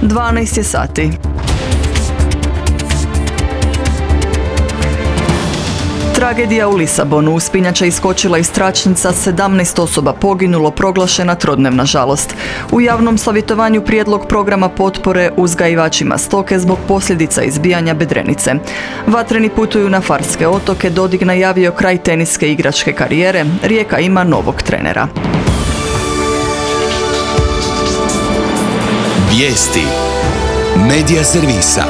12 je sati. Tragedija u Lisabonu. Uspinjača iskočila iz tračnica, 17 osoba poginulo, proglašena trodnevna žalost. U javnom savjetovanju prijedlog programa potpore uzgajivačima stoke zbog posljedica izbijanja bedrenice. Vatreni putuju na Farske otoke, Dodik najavio kraj teniske igračke karijere, Rijeka ima novog trenera. Vijesti Medija servisa.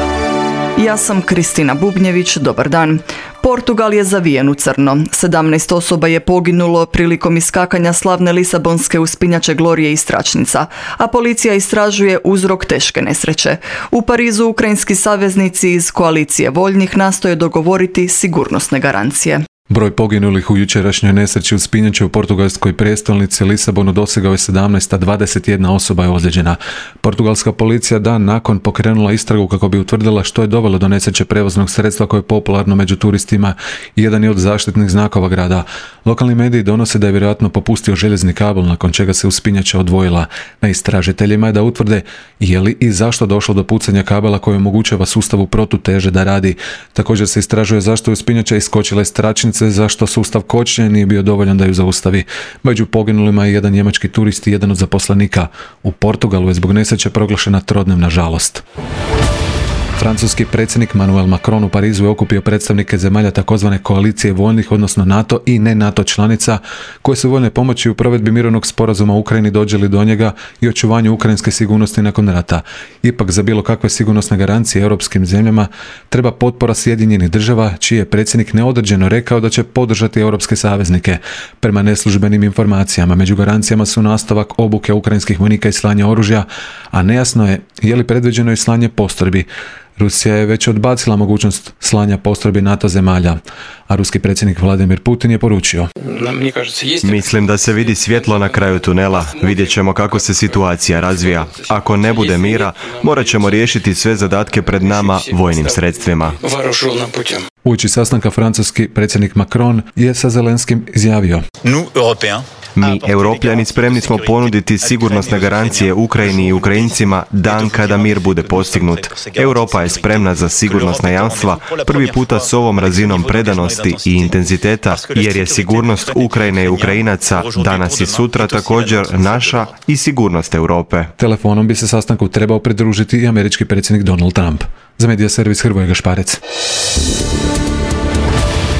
Ja sam Kristina Bubnjević, dobar dan. Portugal je zavijen u crno. 17 osoba je poginulo prilikom iskakanja slavne lisabonske uspinjače Glorije iz tračnica, a policija istražuje uzrok teške nesreće. U Parizu ukrajinski saveznici iz koalicije voljnih nastoje dogovoriti sigurnosne garancije. Broj poginulih u jučerašnjoj nesreći uspinjače u portugalskoj prijestolnici Lisabonu dosegao je 17, a 21 osoba je ozlijeđena. Portugalska policija dan nakon pokrenula istragu kako bi utvrdila što je dovelo do nesreće prevoznog sredstva koje je popularno među turistima i jedan je od zaštitnih znakova grada. Lokalni mediji donose da je vjerojatno popustio željezni kabel nakon čega se uspinjača odvojila. Na istražiteljima je da utvrde je li i zašto došlo do pucanja kabela koji omogućava sustavu protuteže da radi. Također se istražuje zašto je uspinjača iskočila iz tračnice, zašto sustav kočenja nije bio dovoljan da ju zaustavi. Među poginulima je jedan njemački turist i jedan od zaposlenika. U Portugalu je zbog nesreće proglašena trodnevna žalost. Francuski predsjednik Emmanuel Macron u Parizu je okupio predstavnike zemalja takozvane koalicije voljnih, odnosno NATO i ne NATO članica, koje su voljne pomoći u provedbi mirovnog sporazuma u Ukrajini dođe li do njega i očuvanju ukrajinske sigurnosti nakon rata. Ipak za bilo kakve sigurnosne garancije europskim zemljama treba potpora Sjedinjenih država, čiji je predsjednik neodređeno rekao da će podržati europske saveznike. Prema neslužbenim informacijama, među garancijama su nastavak obuke ukrajinskih vojnika i slanje oružja, a nejasno je li predviđeno i slanje postrojbi. Rusija je već odbacila mogućnost slanja postrojbi NATO zemalja, a ruski predsjednik Vladimir Putin je poručio: Mislim da se vidi svjetlo na kraju tunela, vidjet ćemo kako se situacija razvija. Ako ne bude mira, morat ćemo riješiti sve zadatke pred nama vojnim sredstvima. Uoči sastanka francuski predsjednik Macron je sa Zelenskim izjavio: Mi, Europljani, spremni smo ponuditi sigurnosne garancije Ukrajini i Ukrajincima dan kada mir bude postignut. Europa je spremna za sigurnosna jamstva, prvi puta s ovom razinom predanosti i intenziteta, jer je sigurnost Ukrajine i Ukrajinaca danas i sutra također naša i sigurnost Europe. Telefonom bi se sastanku trebao pridružiti i američki predsjednik Donald Trump. Za Medija servis Hrvoje Gašparec.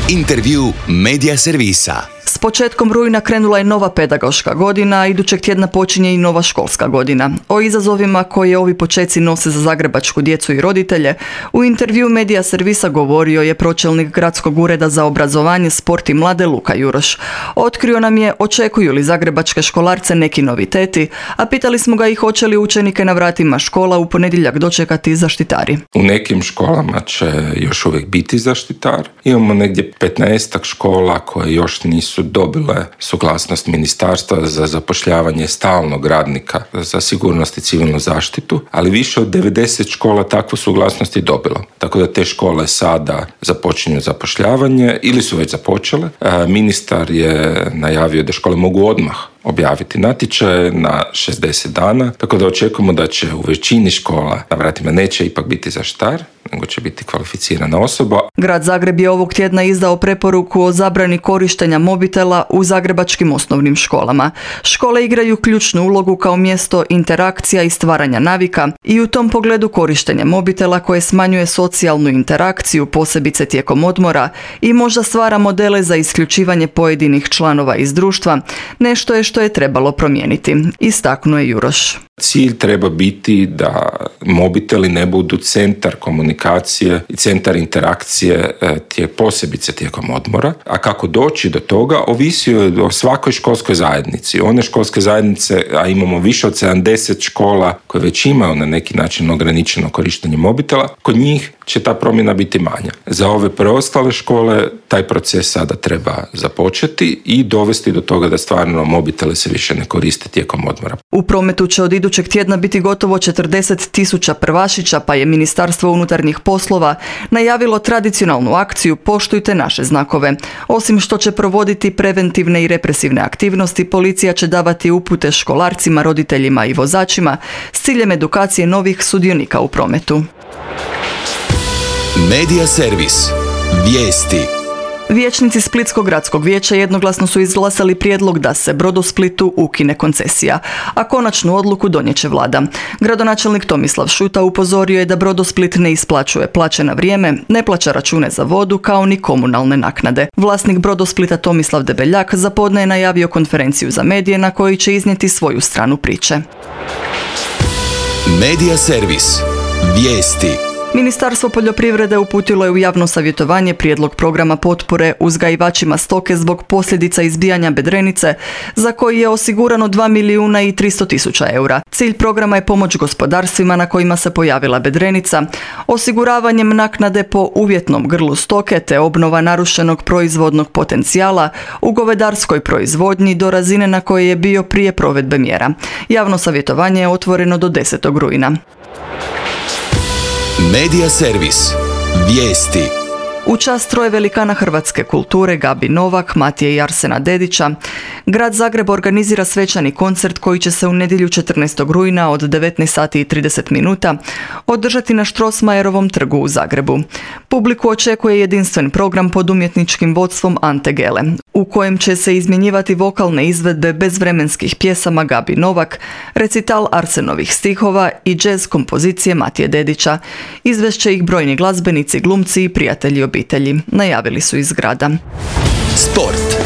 Intervju Medija servisa. S početkom rujna krenula je nova pedagoška godina, a idućeg tjedna počinje i nova školska godina. O izazovima koje ovi počeci nose za zagrebačku djecu i roditelje, u intervju Medija servisa govorio je pročelnik Gradskog ureda za obrazovanje, sport i mlade Luka Juroš. Otkrio nam je očekuju li zagrebačke školarce neki noviteti, a pitali smo ga i hoće li učenike na vratima škola u ponedjeljak dočekati zaštitari. U nekim školama će još uvijek biti zaštitar. Imamo negdje 15 škola koje još nisu dobile suglasnost ministarstva za zapošljavanje stalnog radnika za sigurnost i civilnu zaštitu, ali više od 90 škola takvu suglasnost je dobilo. Tako da te škole sada započinju zapošljavanje ili su već započele. Ministar je najavio da škole mogu odmah objaviti natječaje na 60 dana, tako da očekujemo da će u većini škola na vratima neće ipak biti zaštitar, nego će biti kvalificirana osoba. Grad Zagreb je ovog tjedna izdao preporuku o zabrani korištenja mobitela u zagrebačkim osnovnim školama. Škole igraju ključnu ulogu kao mjesto interakcija i stvaranja navika i u tom pogledu korištenje mobitela koje smanjuje socijalnu interakciju, posebice tijekom odmora, i možda stvara modele za isključivanje pojedinih članova iz društva, nešto je što je trebalo promijeniti, istaknuo je Juroš. Cilj treba biti da mobiteli ne budu centar komunikacije i centar interakcije posebice tijekom odmora, a kako doći do toga ovisi o svakoj školskoj zajednici. One školske zajednice, a imamo više od 70 škola koje već imaju na neki način ograničeno korištenje mobitela, kod njih će ta promjena biti manja. Za ove preostale škole taj proces sada treba započeti i dovesti do toga da stvarno mobitele se više ne koriste tijekom odmora. U prometu će od idućeg tjedna biti gotovo 40.000 prvašića, pa je Ministarstvo unutarnjih poslova najavilo tradicionalnu akciju Poštujte naše znakove. Osim što će provoditi preventivne i represivne aktivnosti, policija će davati upute školarcima, roditeljima i vozačima s ciljem edukacije novih sudionika u prometu. Medija servis. Vijesti. Vijećnici Splitskog gradskog vijeća jednoglasno su izglasali prijedlog da se Brodosplitu ukine koncesija, a konačnu odluku donijet će vlada. Gradonačelnik Tomislav Šuta upozorio je da Brodosplit ne isplaćuje plaće na vrijeme, ne plaća račune za vodu kao ni komunalne naknade. Vlasnik Brodosplita Tomislav Debeljak zapodne je najavio konferenciju za medije na kojoj će iznijeti svoju stranu priče. Medija servis. Vijesti. Ministarstvo poljoprivrede uputilo je u javno savjetovanje prijedlog programa potpore uzgajivačima stoke zbog posljedica izbijanja bedrenice, za koji je osigurano 2.300.000 eura. Cilj programa je pomoć gospodarstvima na kojima se pojavila bedrenica, osiguravanjem naknade po uvjetnom grlu stoke te obnova narušenog proizvodnog potencijala u govedarskoj proizvodnji do razine na kojoj je bio prije provedbe mjera. Javno savjetovanje je otvoreno do 10. rujna. Medija servis. Vijesti. U čast troje velikana hrvatske kulture Gabi Novak, Matije i Arsena Dedića, Grad Zagreb organizira svečani koncert koji će se u nedjelju 14. rujna od 19:30 održati na Strossmayerovom trgu u Zagrebu. Publiku očekuje jedinstven program pod umjetničkim vodstvom Ante Gele, u kojem će se izmjenjivati vokalne izvedbe bezvremenskih pjesama Gabi Novak, recital Arsenovih stihova i džez kompozicije Matije Dedića. Izvešće ih brojni glazbenici, glumci i prijatelji obitelji, najavili su iz grada. Sport.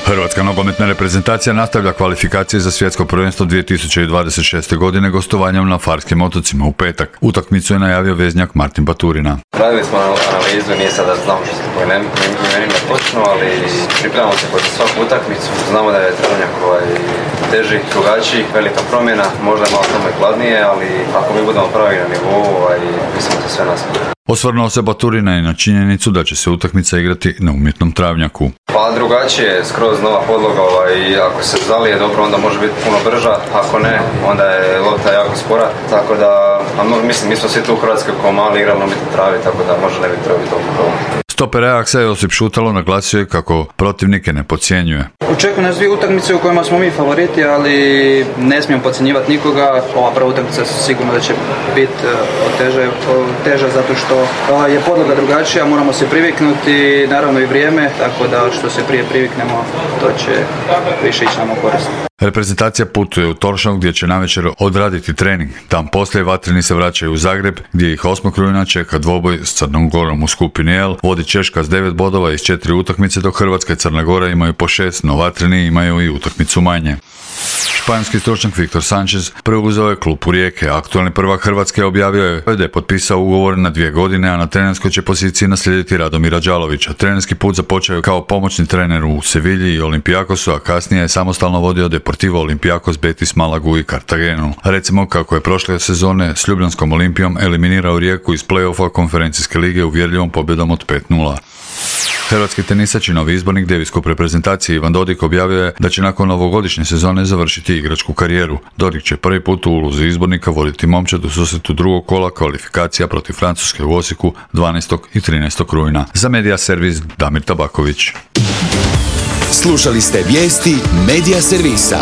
Hrvatska nogometna reprezentacija nastavlja kvalifikacije za svjetsko prvenstvo 2026. godine gostovanjem na Farskim otocima u petak. Utakmicu je najavio veznjak Martin Baturina. Radili smo analizu, nije sada znamo što se po imenima točno, ali pripremamo se kod svaku utakmicu. Znamo da je Travnjak teži, drugačiji, velika promjena, možda je malo tamo i hladnije, ali ako mi budemo pravi na nivou, mislim da sve nas. Osvrnuo se Baturina i na činjenicu da će se utakmica igrati na umjetnom travnjaku. Pa drugačije, skroz nova podloga, i ako se zalije dobro, onda može biti puno brža, ako ne, onda je lopta jako spora, tako da, mislim, mi smo svi tu u Hrvatskoj kao mali igrali na umjetnom travi, tako da možda ne bi trebalo biti toliko problem. Stoper Ajaxa Josip Šutalo naglasio je kako protivnike ne podcjenjuje. Očekuju nas dvije utakmice u kojima smo mi favoriti, ali ne smijemo podcjenjivati nikoga. Ova prva utakmica sigurno da će biti teža zato što je podloga drugačija, moramo se priviknuti, naravno i vrijeme, tako da što se prije priviknemo, to će više ići nam u korist. Reprezentacija putuje u Toršov gdje će navečer odraditi trening. Tam poslije vatreni se vraćaju u Zagreb gdje ih 8. rujna čeka dvoboj s Crnom Gorom u skupini L. Vodi Češka s 9 bodova iz 4 utakmice, dok Hrvatska i Crna Gora imaju po 6, no vatreni imaju i utakmicu manje. Španjolski stručnjak Viktor Sanchez preuzeo je klub u Rijeke. Aktualni prvak Hrvatske objavio je da je potpisao ugovor na 2 godine, a na trenerskoj će poziciji naslijediti Radomira Đalovića. Trenerski put započeo kao pomoćni trener u Sevilji i Olimpijakosu, a kasnije je samostalno vodio Deportivo Olimpijakos, Betis, Malagu i Cartagenu. Recimo kako je prošle sezone s Ljubljanskom Olimpijom eliminirao Rijeku iz play-offa konferencijske lige uvjerljivom pobjedom od 5:0. Hrvatski tenisač i novi izbornik Davis Cup reprezentacije Ivan Dodig objavio je da će nakon ovogodišnje sezone završiti igračku karijeru. Dodig će prvi put u ulozi izbornika voditi momčad u susretu drugog kola kvalifikacija protiv Francuske u Osijeku 12. i 13. rujna. Za Medija servis Damir Tabaković. Slušali ste vijesti Medija servisa.